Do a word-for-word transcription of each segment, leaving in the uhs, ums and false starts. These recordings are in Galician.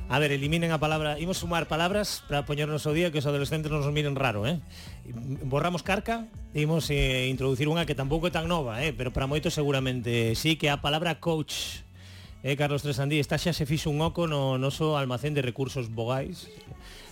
A ver, eliminen a palabra, imos sumar palabras para poñernos ao día que os adolescentes nos miren raro, eh? Borramos carca, imos eh, introducir unha que tampouco é tan nova, eh? Pero para moitos seguramente sí, que a palabra coach. Eh, Carlos Tresandí, está xa se fixo un oco no noso almacén de recursos vogais,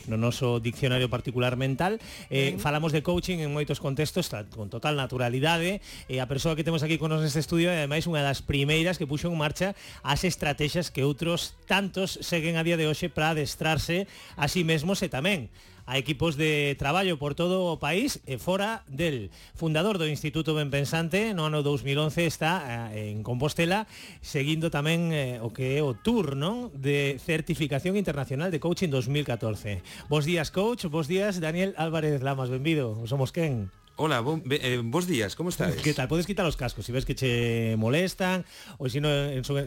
no noso diccionario particular mental. eh, falamos de coaching en moitos contextos con total naturalidade, e a persoa que temos aquí con nos neste estudio é ademais unha das primeiras que puxo en marcha as estrategias que outros tantos seguen a día de hoxe para adestrarse a sí mesmos e tamén a equipos de traballo por todo o país e fora del. Fundador do Instituto Benpensante no ano dos mil once, está eh, en Compostela seguindo tamén eh, o que é o tour, non? De certificación internacional de coaching dos mil catorce. Bos días, coach, bos días, Daniel Álvarez Lamas, benvido, somos quen? Hola, bon, eh, bos días, como estás? Que tal? Podes quitar os cascos, si ves que che molestan, ou se si no,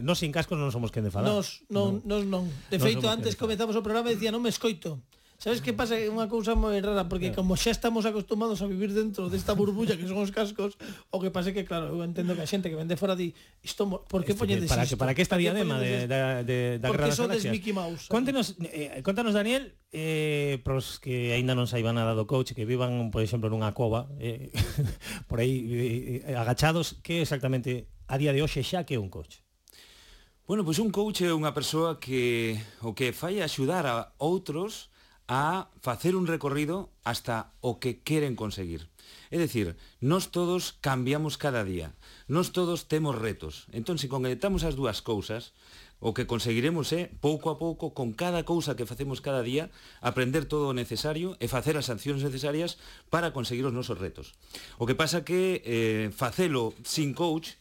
no sin cascos non somos quen de falar. Nos, non, nos non. De feito, antes comezamos o programa e dicía, non me escoito. Sabes que pasa? É unha cousa moi rara, porque como xa estamos acostumados a vivir dentro desta burbulla que son os cascos, o que pasa é que, claro, eu entendo que a xente que vende fora di, isto, por que poñedes isto? Para que para que esta diadema de, de, de, da Guerra das Galaxias? Mickey Mouse. Contenos, eh, contanos, Daniel, eh, pros que aínda non saiban nada do coach, que vivan, por exemplo, nunha cova, eh, por aí eh, agachados, que exactamente a día de hoxe xa que é un coach? Bueno, pois un coach é unha persoa que o que fai é axudar a outros a facer un recorrido hasta o que queren conseguir. É dicir, nós todos cambiamos cada día, nós todos temos retos. Entón, se conectamos as dúas cousas, o que conseguiremos é, pouco a pouco, con cada cousa que facemos cada día, aprender todo o necesario e facer as accións necesarias para conseguir os nosos retos. O que pasa que eh, facelo sin coach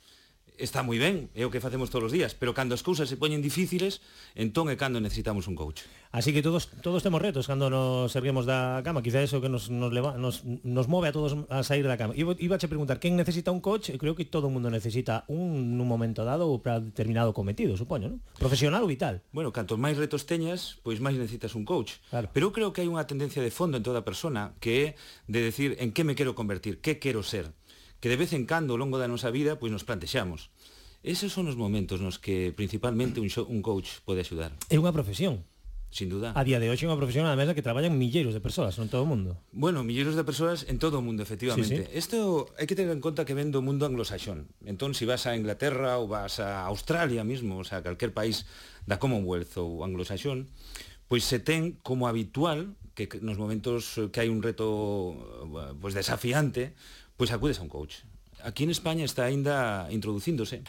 está moi ben, é o que facemos todos os días, pero cando as cousas se poñen difíciles, entón é cando necesitamos un coach. Así que todos todos temos retos cando nos erguemos da cama, quizá eso que nos nos leva, nos, nos move a todos a sair da cama. Iba, iba a che preguntar, quen necesita un coach? Eu creo que todo o mundo necesita un nun momento dado ou para determinado cometido, supoño, non? Profesional ou vital. Bueno, cantos máis retos teñas, pois máis necesitas un coach. Claro. Pero eu creo que hai unha tendencia de fondo en toda persona que é de decir en que me quero convertir, que quero ser, que de vez en cando ao longo da nosa vida pois nos plantexamos. Esos son os momentos nos que principalmente un, show, un coach pode axudar. É unha profesión. Sin duda. A día de hoxe é unha profesión además que traballan milleiros de persoas, non todo o mundo. Bueno, milleiros de persoas en todo o mundo, efectivamente. Isto sí, sí. Hai que ter en conta que ven do mundo anglosaxón. Entón, se si vas a Inglaterra ou vas a Australia mismo, o sea, calquer país da Commonwealth ou anglosaxón, pois se ten como habitual que nos momentos que hai un reto pois desafiante, pois acudes a un coach. Aquí en España está aínda introducíndose,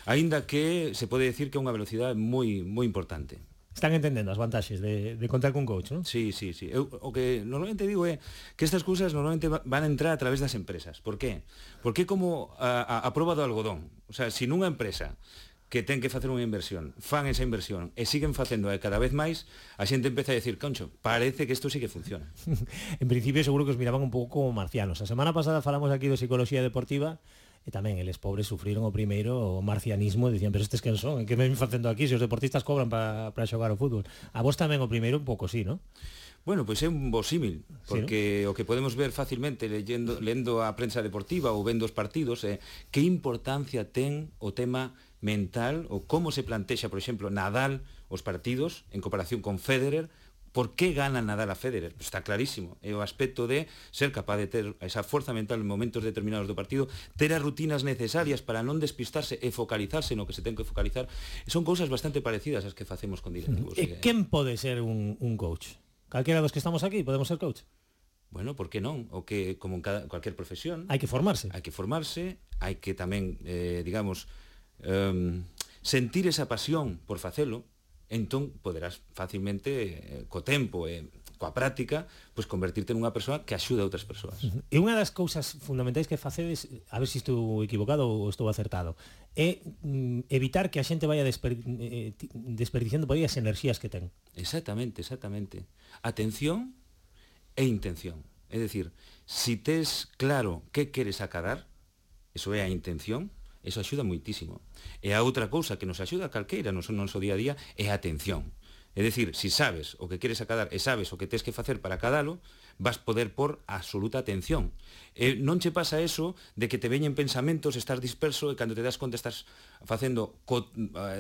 aínda que se pode decir que é unha velocidade moi moi importante. Están entendendo as vantaxes de, de contar con coach, non? Sí, sí, sí. Eu, o que normalmente digo é que estas cousas normalmente van a entrar a través das empresas. Por qué? Porque é como a, a, a proba do algodón. O sea, se nunha empresa que ten que facer unha inversión, fan esa inversión e siguen facendo cada vez máis, a xente empeza a decir, concho, parece que isto sí que funciona. En principio seguro que os miraban un pouco como marcianos. A semana pasada falamos aquí de psicología deportiva e tamén eles pobres sufriron o primeiro o marcianismo e dicían, pero estes quen son? Que me ven facendo aquí se os deportistas cobran para pa xogar ao fútbol? A vos tamén o primeiro un pouco sí, non? Bueno, pois é un bo símil, porque sí, ¿no? O que podemos ver facilmente leyendo, lendo a prensa deportiva ou vendo os partidos é que importancia ten o tema mental ou como se plantexa, por exemplo, Nadal os partidos en comparación con Federer. Por que gana Nadal a Federer? Pues está clarísimo, é o aspecto de ser capaz de ter esa forza mental en momentos determinados do partido, ter as rutinas necesarias para non despistarse e focalizarse no que se ten que focalizar. Son cousas bastante parecidas as que facemos con directivos. E quen pode ser un, un coach? Calquera dos que estamos aquí podemos ser coach? Bueno, por que non? O que, como en cada, cualquier profesión... Hai que formarse. Hai que formarse, hai que tamén, eh, digamos, um, sentir esa pasión por facelo, entón poderás facilmente, eh, co tempo e eh, coa práctica, pois convertirte nunha persoa que axuda a outras persoas. Uh-huh. E unha das cousas fundamentais que facedes, a ver se si estou equivocado ou estou acertado, é mm, evitar que a xente vaya desper, eh, desperdiciando por aí as enerxías que ten. Exactamente, exactamente. Atención e intención. É dicir, si tes claro que queres acadar, eso é a intención, eso axuda moitísimo. E a outra cousa que nos axuda a calqueira no noso día a día é a atención. É dicir, si sabes o que queres acadar e sabes o que tes que facer para acadalo, vas poder por absoluta atención. Eh, non che pasa eso de que te veñen pensamentos, estás disperso e cando te das conta estás facendo co,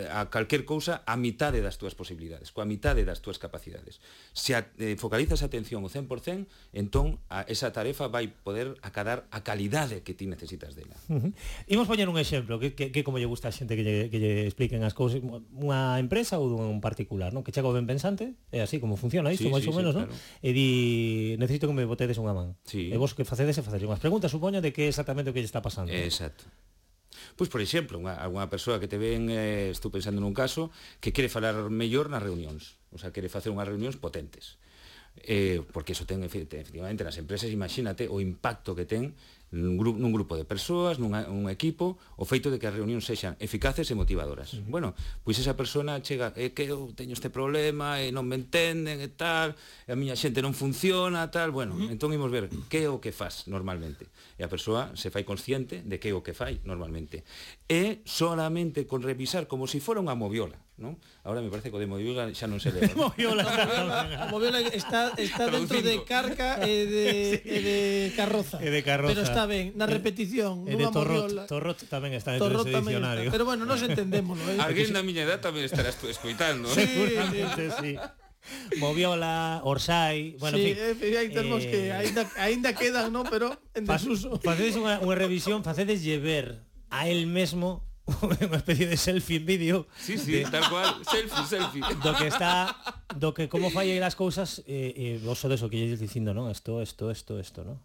a calquer cousa a mitade das túas posibilidades, coa mitade das túas capacidades. Se a, eh, focalizas a atención o cen por cen, entón a, esa tarefa vai poder acadar a calidade que ti necesitas dela. Uh-huh. Imos poñer un exemplo que, que, que como lle gusta a xente que lle, que lle expliquen as cousas, unha empresa ou un particular, non? Que chega o ben pensante, é así como funciona isto, sí, máis sí, ou menos, sí, non? Claro. E di, necesito que me botedes unha man. Sí. E vos que facedes é facer unhas preguntas, supoño, de que é exactamente o que lle está pasando. Exacto. Pois, por exemplo, unha, alguna persoa que te ven, eh, estou pensando nun caso, que quere falar mellor nas reunións, o sea, quere facer unhas reunións potentes. Eh, porque eso ten, efectivamente, nas empresas, imagínate o impacto que ten nun grupo, nun grupo de persoas, nun un equipo, o feito de que as reunións sexan eficaces e motivadoras. Uh-huh. Bueno, pois esa persona chega, é que eu teño este problema e non me entenden e tal, e a miña xente non funciona, tal, bueno, uh-huh. entón imos ver que é o que faz normalmente. E a persoa se fai consciente de que é o que fai normalmente. E solamente con revisar como se si fora unha moviola, non? Ahora me parece que o de moviola xa non se leva. Moviola, a moviola está, está dentro de carca e de, sí. e de carroza. E de carroza. Pero está ben, na repetición, e nunha moviola. Torrot tamén está dentro dese diccionario. Pero bueno, nos entendémoslo. Eh? Alguén da miña edad tamén estarás tú escoitando. Sí, seguramente, sí. Moviola, Orsay, bueno, sí, en fin. Eh, hai termos eh, que aínda aínda quedan, ¿no? Pero en desuso. Facedes unha, unha revisión, facedes ver a él mesmo unha especie de selfie en vídeo. Sí, sí, de, tal cual, selfie, selfie. Do que está, do que como falla as cousas, eh, eh, vos sodes o que lle dicindo, non? Esto, esto, esto, esto, non?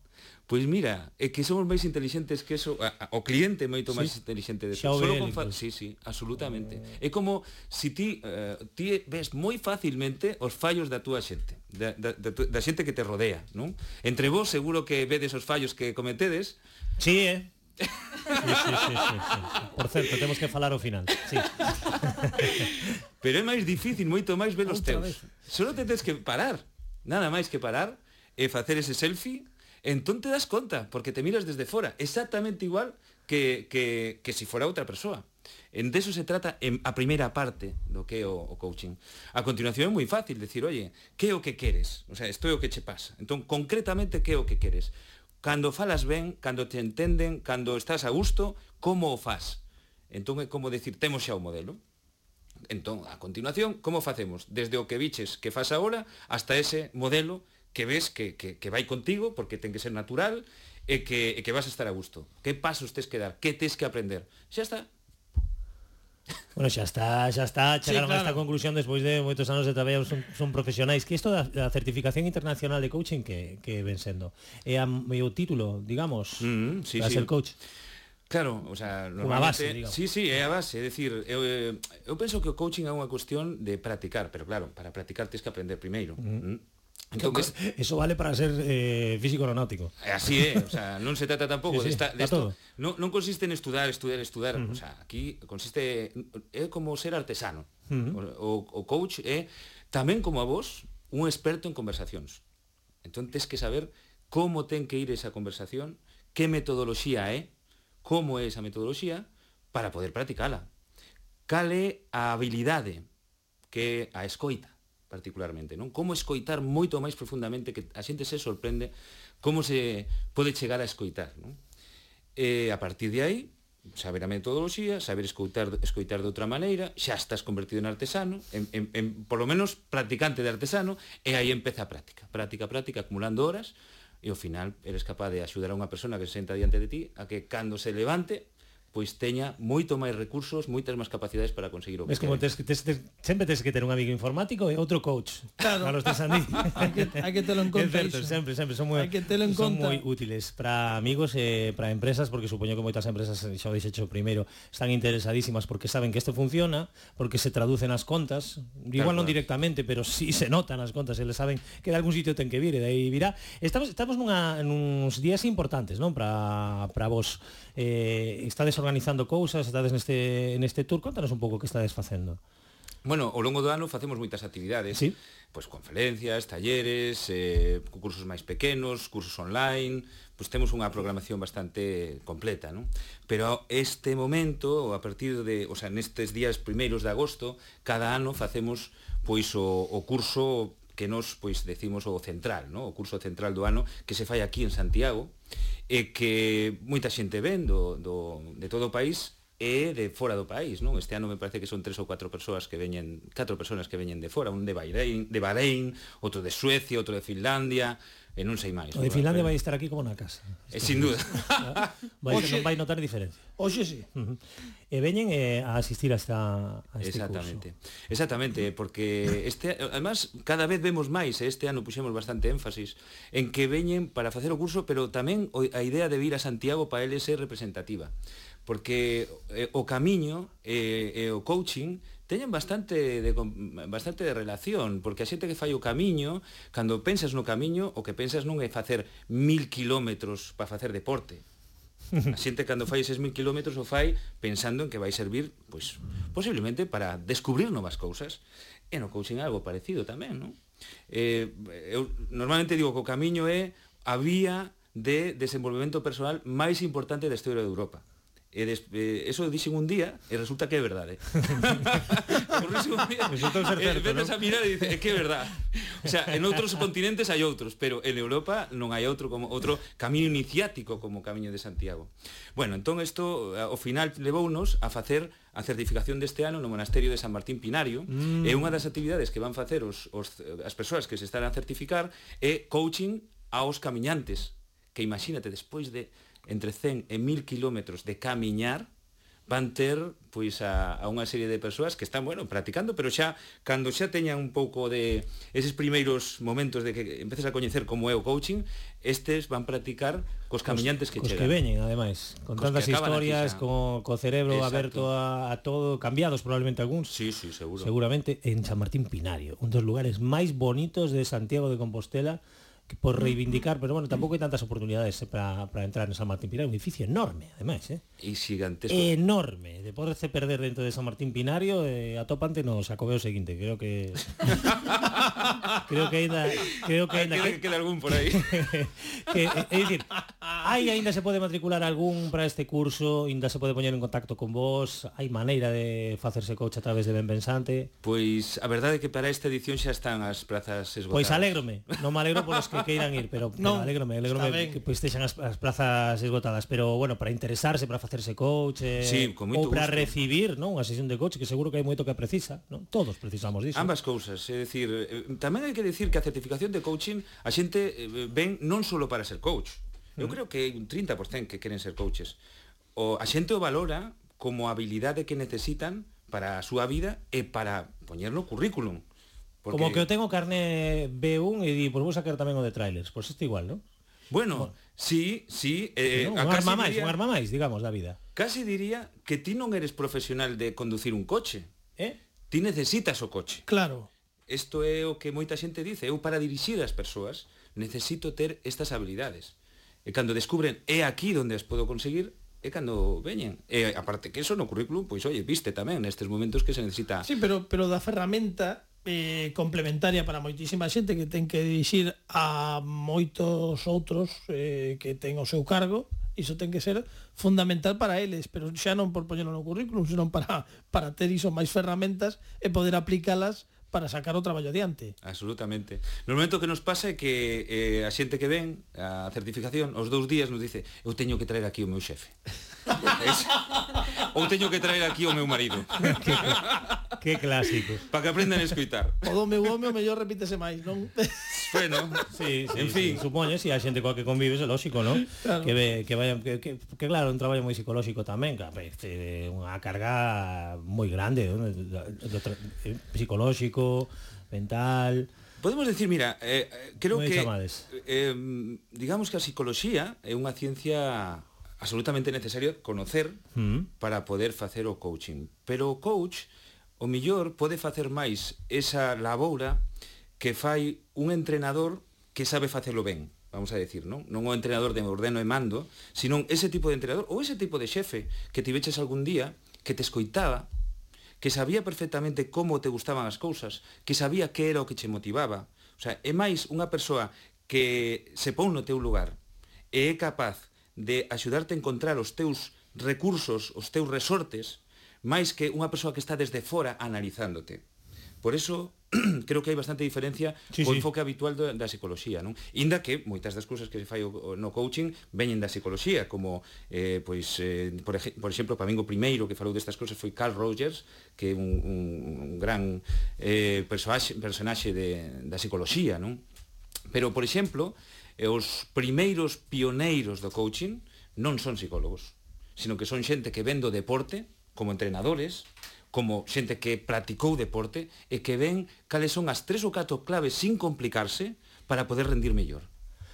Pois mira, é que somos máis inteligentes que eso, a, a, o cliente é moito máis sí. inteligente de eso. Solo con fa... Sí, sí, absolutamente. É como se si ti, uh, ti ves moi facilmente os fallos da túa xente, da, da, da, da xente que te rodea, non? Entre vos seguro que vedes os fallos que cometedes. Sí, eh? Sí, sí, sí, sí, sí. Por certo, temos que falar ao final. Sí. Pero é máis difícil, moito máis ver os teus. Vez. Solo te tens que parar, nada máis que parar e facer ese selfie. Entón te das conta, porque te miras desde fora, exactamente igual que, que, que si fora outra persoa. En de eso se trata en a primeira parte do que é o, o coaching. A continuación é moi fácil decir, oye, que é o que queres? O sea, isto é o que che pasa. Entón, concretamente, que é o que queres? Cando falas ben, cando te entenden, cando estás a gusto, como o faz? Entón é como decir, temos xa o modelo. Entón, a continuación, como facemos? Desde o que biches que faz agora hasta ese modelo que ves que, que, que vai contigo, porque ten que ser natural, e que, e que vas a estar a gusto. Que pasos tes que dar? Que tes que aprender? Xa está. Bueno, xa está, xa está, chegaron sí, claro. a esta conclusión despois de moitos anos de traballo, son, son profesionais, que isto da, da certificación internacional de coaching que, que ven sendo. É a meu título, digamos, mm, sí, para sí. ser coach. Claro, o sea, unha base, digamos. Sí, sí, é a base, é dicir, eu, eu penso que o coaching é unha cuestión de practicar, pero claro, para practicar tens que aprender primeiro. Mm. Mm. Entonces, eso vale para ser eh, físico aeronáutico. Así é, o sea, non se trata tampouco sí, sí, de, esta, de esto, non, non consiste en estudar, estudar, estudar, uh-huh. O sea, aquí consiste é como ser artesano. Uh-huh. O, o coach é tamén como a vos un experto en conversacións. Entón tes que saber como ten que ir esa conversación, que metodoloxía é, como é esa metodoloxía para poder practicala. Cal é a habilidade que é a escoita particularmente, non? Como escoitar moito máis profundamente, que a xente se sorprende como se pode chegar a escoitar, non? E a partir de aí, saber a metodoloxía, saber escoitar, escoitar de outra maneira, xa estás convertido en artesano, en, en, en por lo menos practicante de artesano, e aí empeza a práctica, práctica, práctica, acumulando horas, e ao final eres capaz de axudar a unha persona que se senta diante de ti a que cando se levante pois teña moito máis recursos, moitas máis capacidades para conseguir o que quere. Es como tes, tes, tes, sempre tes que ter un amigo informático e outro coach. Claro. Para los tes andí. hai, que, hai que telo en conta. É certo, sempre, sempre son moi, son moi útiles para amigos e para empresas, porque supoño que moitas empresas, xa o dixecho primeiro, están interesadísimas porque saben que isto funciona, porque se traducen as contas, igual claro, non directamente, pero sí se notan as contas, eles saben que de algún sitio ten que vir e de aí virá. Estamos, estamos nunha, nuns días importantes, non? Para, para vos. Eh, estades organizando cousas, estades neste, neste tour, contanos un pouco que estades facendo. Bueno, ao longo do ano facemos moitas actividades, ¿sí? Pois conferencias, talleres, eh, cursos máis pequenos, cursos online, pois temos unha programación bastante completa, non? Pero este momento, a partir de, o sea, nestes días primeiros de agosto, cada ano facemos pois o, o curso que nos pois decimos o central, no? O curso central do ano que se fai aquí en Santiago, e que moita xente ven do, do, de todo o país e de fora do país, non? Este ano me parece que son tres ou quatro persoas que veñen, catro persoas que veñen de fora, un de Bahrein, de Bahrein, outro de Suecia, outro de Finlandia, e non sei máis. O de Finlandia vai estar aquí como na casa. E sin duda. Vai, non vai notar diferencia. Oxe, sí. Uh -huh. E veñen eh, a asistir a, esta, a este Exactamente. curso. Exactamente, porque este, además cada vez vemos máis, este ano puxemos bastante énfasis en que veñen para facer o curso, pero tamén a idea de vir a Santiago para eles é representativa, porque eh, o camiño e eh, eh, o coaching teñen bastante de, bastante de relación, porque a xente que fai o camiño, cando pensas no camiño, o que pensas non é facer mil kilómetros para facer deporte. A xente cando fai eses mil kilómetros o fai pensando en que vai servir, pois, posiblemente para descubrir novas cousas. E no coaching é algo parecido tamén, non? Eh, eu normalmente digo que o camiño é a vía de desenvolvemento personal máis importante da historia de Europa. E des, eh, eso dixen un día e resulta que é verdade. un día, resulta ser certo, eh, ¿no? a mirar e dice, é que é verdade. O sea, en outros continentes hai outros, pero en Europa non hai outro como outro camiño iniciático como o Camiño de Santiago. Bueno, entón isto ao final levounos a facer a certificación deste ano no Monasterio de San Martín Pinario, mm. e unha das actividades que van facer os, os, as persoas que se están a certificar é coaching aos camiñantes, que imagínate, despois de entre cen e mil kilómetros de camiñar, van ter pois a, a unha serie de persoas que están, bueno, practicando, pero xa cando xa teñan un pouco de eses primeiros momentos de que empeces a coñecer como é o coaching, estes van practicar cos camiñantes que cos chegan. que veñen, ademais, con cos tantas historias, co, co cerebro Exacto. aberto a, a todo, cambiados probablemente algúns. Sí, sí, seguro. Seguramente en San Martín Pinario, un dos lugares máis bonitos de Santiago de Compostela, por reivindicar, pero bueno, tampouco hai tantas oportunidades eh, para, para entrar en San Martín Pinario, un edificio enorme, ademais, eh? E gigantesco. Enorme, de poderse perder dentro de San Martín Pinario, eh, atopante no Xacobeo seguinte, creo que creo que ainda creo que ainda que queda algún por aí. que, é dicir, aí ainda se pode matricular algún para este curso, ainda se pode poñer en contacto con vos, hai maneira de facerse coach a través de Ben Pensante. Pois a verdade é que para esta edición xa están as plazas esgotadas. Pois alégrome, non me alegro polos que queiran ir, pero, pero no, alégrome, alégrome que pois estexan as, as plazas esgotadas, pero bueno, para interesarse, para facerse coach, eh, sí, ou para gusto. recibir, non, unha sesión de coach, que seguro que hai moito que precisa, non? Todos precisamos disso. Ambas cousas, é dicir, tamén hai que dicir que a certificación de coaching a xente ven non só para ser coach. Eu mm. creo que hai un trinta por cento que queren ser coaches. O a xente o valora como habilidade que necesitan para a súa vida e para poñer no currículum. Porque... Como que eu tengo carné B uno e di, pois vou sacar tamén o de trailers, pois isto igual, non? Bueno, bueno, sí, sí, eh, no, un arma máis, un arma máis, digamos, da vida. Casi diría que ti non eres profesional de conducir un coche. Eh? Ti necesitas o coche. Claro. Isto é o que moita xente dice, eu para dirixir as persoas necesito ter estas habilidades. E cando descubren é aquí onde as podo conseguir, é cando veñen. E aparte que eso no currículum, pois oye, viste tamén nestes momentos que se necesita. Sí, pero pero da ferramenta eh, complementaria para moitísima xente que ten que dirixir a moitos outros eh, que ten o seu cargo, iso ten que ser fundamental para eles, pero xa non por poñerlo no currículum, senón para, para ter iso máis ferramentas e poder aplicalas para sacar o traballo adiante. Absolutamente. No momento que nos pasa é que eh, a xente que ven a certificación, os dous días nos dice, eu teño que traer aquí o meu xefe. Es, ou teño que traer aquí o meu marido. que, que clásico. Para que aprendan a escoitar. O do meu home o mellor repítese máis, non? Bueno, sí, sí, en fin, sí, supoño, si a xente coa que convives é lógico, non? Claro. Que ve, que vaya que, que, que claro, un traballo moi psicolóxico tamén, que este, unha carga moi grande, non? Psicolóxico, mental. Podemos decir, mira, eh, creo que eh, digamos que a psicología é unha ciencia absolutamente necesaria conocer mm. para poder facer o coaching. Pero o coach, o millor, pode facer máis esa laboura que fai un entrenador que sabe facelo ben, vamos a decir, non? Non o entrenador de ordeno e mando, sino ese tipo de entrenador ou ese tipo de xefe que te veches algún día, que te escoitaba, que sabía perfectamente como te gustaban as cousas, que sabía que era o que che motivaba. O sea, é máis unha persoa que se pon no teu lugar e é capaz de axudarte a encontrar os teus recursos, os teus resortes, máis que unha persoa que está desde fora analizándote. Por eso, creo que hai bastante diferencia sí, co sí. enfoque habitual da, da psicología, non? Inda que moitas das cousas que se fai o, no coaching veñen da psicología, como eh, pois eh, por, ej por exemplo, para min o primeiro que falou destas cousas foi Carl Rogers, que é un, un, un gran eh, personaxe, personaxe de, da psicología, non? Pero, por exemplo, eh, os primeiros pioneiros do coaching non son psicólogos, sino que son xente que ven do deporte como entrenadores, como xente que practicou deporte e que ven cales son as tres ou catro claves sin complicarse para poder rendir mellor.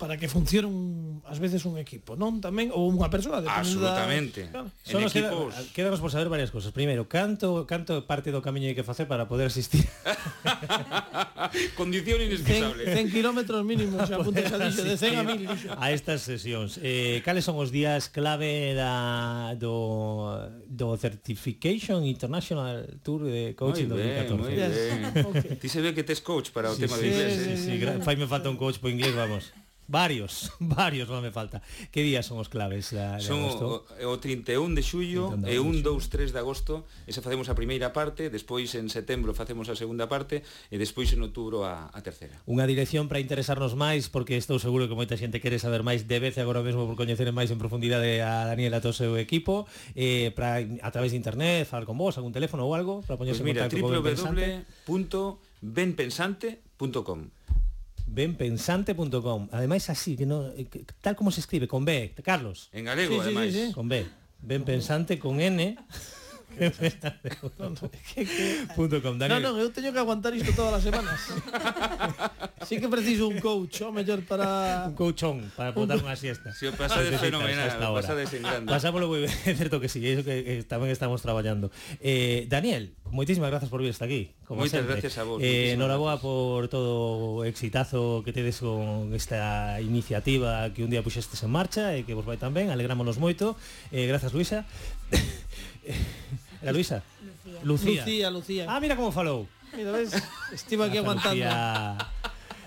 Para que funcione un, ás veces un equipo, non? Tamén, ou unha persoa. Absolutamente. Da... Claro. En Solo equipos... queda, quedanos por saber varias cosas. Primeiro, canto, canto parte do camiño hai que facer para poder asistir? Condición inexcusable. cen kilómetros mínimos, xa apuntes a dixo, de cen a mil. A estas sesións. Eh, cales son os días clave da, do, do Certification International Tour de Coaching Moi ben, dos mil catorce? moi ben. Okay. Ti se ve que tes coach para o Sí, tema sí, de inglés, sí, eh? sí, sí. Fai me falta un coach por inglés, vamos. Varios, varios non me falta. Que días son os claves da, de Son agosto? o, o trinta e un de xullo e un, dous, tres de agosto. Esa facemos a primeira parte, despois en setembro facemos a segunda parte e despois en outubro a, a terceira. Unha dirección para interesarnos máis, porque estou seguro que moita xente quere saber máis de vez agora mesmo por coñecer máis en profundidade a Daniel e a todo o seu equipo, eh, para, a través de internet, falar con vos, algún teléfono ou algo, para poñerse Pues mira, en contacto con w w Benpensante. w punto benpensante punto com. benpensante punto com. Ademais así, que no, que, tal como se escribe, con B, Carlos. En galego, Sí, sí, ademais. sí, sí. Con B. Benpensante con N. punto com. No, Daniel. no, eu teño que aguantar isto todas as semanas. Sí que preciso un coach, o mellor para... Un couchón para botar unha siesta. Si o pasades Necesitas fenomenal, esta o hora. pasades en grande. Pasámoslo moi ben, é certo que sí, é iso que, que tamén estamos traballando. Eh, Daniel, moitísimas grazas por vir hasta aquí. Como Moitas sempre. gracias a vos. Eh, moitísimas Noraboa gracias. por todo o exitazo que tedes con esta iniciativa que un día puxestes en marcha e que vos vai tan ben, alegrámonos moito. Eh, grazas, Luisa. Era Luisa? Lucía. Lucía. Lucía, Lucía. Ah, mira como falou. Mira, ves? Estive aquí aguantando. Lucía.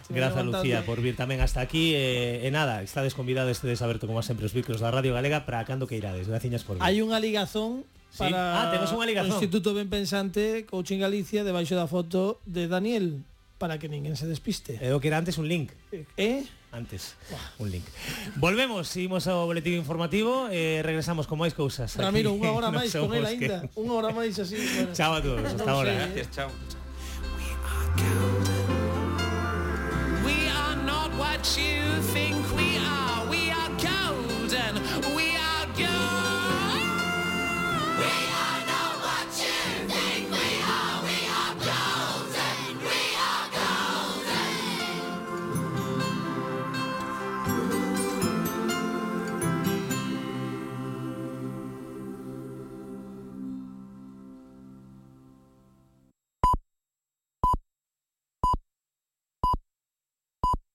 Grazas, aguantando. Lucía, por vir tamén hasta aquí. E eh, eh, nada, estades convidados de saber como sempre os micros da Radio Galega para cando que irades. Graciñas por vir. Hai unha ligazón Sí. para Ah, temos unha ligazón. o Instituto Ben Pensante, Coaching Galicia, debaixo da foto de Daniel, para que ninguén se despiste. Eh, o que era antes un link. Eh? Antes, un link. Volvemos, seguimos ao boletín informativo e eh, regresamos con máis cousas. Ramiro, aquí unha hora no máis con Somos él que- aínda. Unha hora máis así. Bueno. Chao a todos, hasta Non ahora. sei, eh. Gracias, chao. We are not what you think